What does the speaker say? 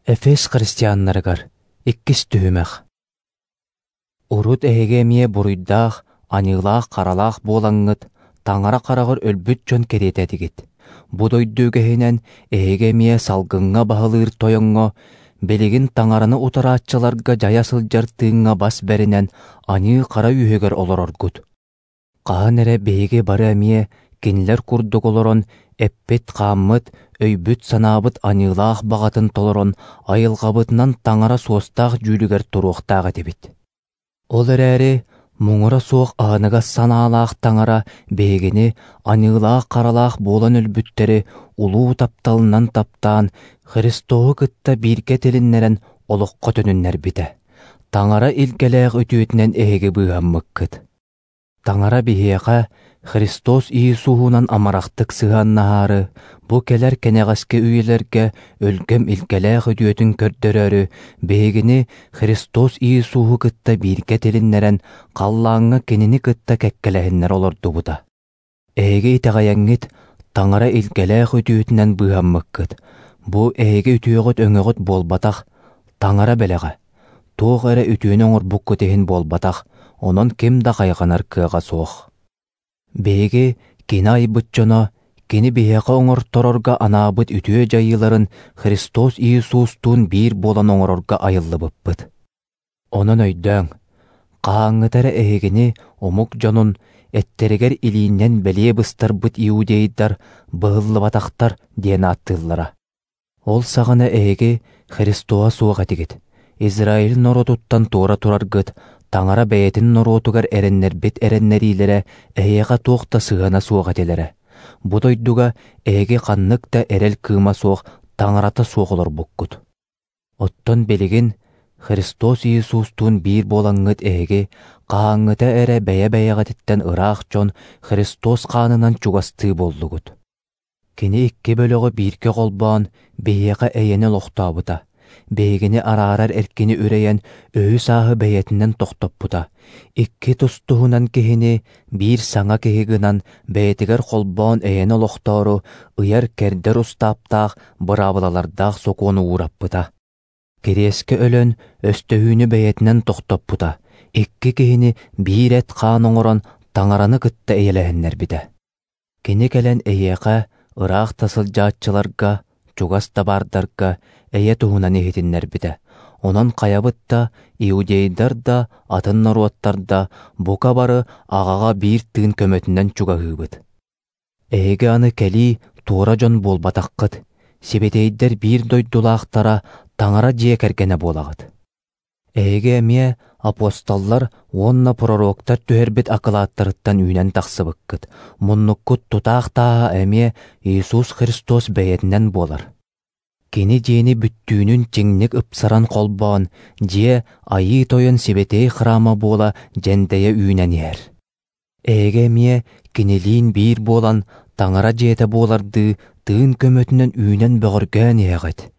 Эфес христианнарыгар иккис түһүмэх. Урут эһиги эмиэ буруйдаах, аньыылаах-харалаах буолаҥҥыт, таҥара хараҕар өлбүт дьон кэриэтэ этигит. Бу дойду үгэһинэн эһиги эмиэ салгыҥҥа баһылыыр тойоҥҥо, билигин таҥараны утарааччыларга дьайа сылдьар тыыҥҥа бас бэринэн аньыы-хара үөһүгэр олороргут. Хаһан эрэ биһиги бары эмиэ кинилэр курдук олорон, эппит-хааммыт, өйбүт-санаабыт аньыылаах баҕатын толорон, айылҕабытынан таҥара суостаах дьүүлүгэр туруохтаах этибит. Ол эрээри муҥура суох аһыныгас санаалаах таҥара биһигини аньыылаах-харалаах буолан өлбүттэри улуу тапталынан таптаан, Христоһу кытта бииргэ тилиннэрэн олоххо төнүннэрбитэ. Таҥара илгэлээх үтүөтүнэн эһиги быыһаммыккыт. Таҥара биһиэхэ Христос Иисуһунан амарахтык сыһыаннаһаары, бу кэлэр кэнэҕэски үйэлэргэ өлгөм илгэлээх үтүөтүн көрдөрөөрү, биһигини Христос Иисуһу кытта бииргэ тилиннэрэн, халлааҥҥа Кинини кытта кэккэлэһиннэрэ олордубута. Эһиги итэҕэйэҥҥит, Таҥара илгэлээх үтүөтүнэн быыһаммыккыт. Бу эһиги үтүөҕүт-өҥөҕүт буолбатах, Таҥара бэлэҕэ. Туох эрэ үтүөнү оҥорбуккут иһин буолбатах, онон ким да хайҕанар кыаҕа суох. Биһиги Кини айбыт дьоно, Кини биһиэхэ оҥорторорго анаабыт үтүө дьайыыларын Христос Иисустуун биир буолан оҥорорго айыллыбыппыт. Онон өйдөөҥ, хаһааҥҥыта эрэ эһигини омук дьонун эттэригэр илииннэн бэлиэ быстарбыт иудейдар быһыллыбатахтар диэн ааттыыллара. Ол саҕана эһиги Христоһа суох этигит, Израиль норуотуттан туора тураргыт, Таҥара бэйэтин норуотугар эрэннэрбит эрэннэриилэрэ эһиэхэ туох да сыһыана суох этилэрэ. Бу дойдуга эһиги ханнык да эрэл кыыма суох, Таҥарата суох олорбуккут. Оттон билигин Христос Иисустуун биир буолаҥҥыт эһиги хаһааҥҥыта эрэ бэйэ-бэйэҕититтэн ыраах дьон Христос хаанынан чугастыы буоллугут. Кини икки бөлөҕү бииргэ холбоон биһиэхэ эйэни олохтообута, биһигини араарар эркини үрэйэн өһү-сааһы бэйэтинэн тохтоппута, икки тус-туһунан киһини биир саҥа киһи гынан бэйэтигэр холбоон эйэни олохтоору ыйар-кэрдэр устааптаах, быраабылалардаах сокуону уураппыта. Кириэскэ өлөн өстөһүүнү бэйэтинэн тохтоппута, икки киһини биир эт-хаан оҥорон Таҥараны кытта эйэлэһиннэрбитэ. Кини кэлэн эйиэхэ, ыраах да сылдьааччыларга, чугас да баардарга эйэ туһунан иһитиннэрбитэ. Онон хайабыт да, иудейдар да, атын норуоттар да бука бары Аҕаҕа биир тыын көмөтүнэн чугаһыыбыт. Эһиги аны кэлии туора дьон буолбатаххыт, сибэтиэйдэр биир дойдулаахтара Таҥара дьиэ кэргэнэ буолаҕыт. Эһиги эмиэ апостоллар уонна пророктар түһэрбит акылааттарыттан үүнэн тахсыбыккыт, муннуккут тутаах тааһа эмиэ Иисус Христос бэйэтинэн буолар. Кини дьиэни бүттүүнүн чиҥник ыпсаран холбоон, дьиэ Айыы Тойон сибэтиэй храма буола дьэндэйэ үүнэн иһэр. Эһиги эмиэ Кинилиин биир буолан, Таҥара дьиэтэ буолардыы тыын көмөтүнэн үүнэн бөҕөргөөн иһэҕит.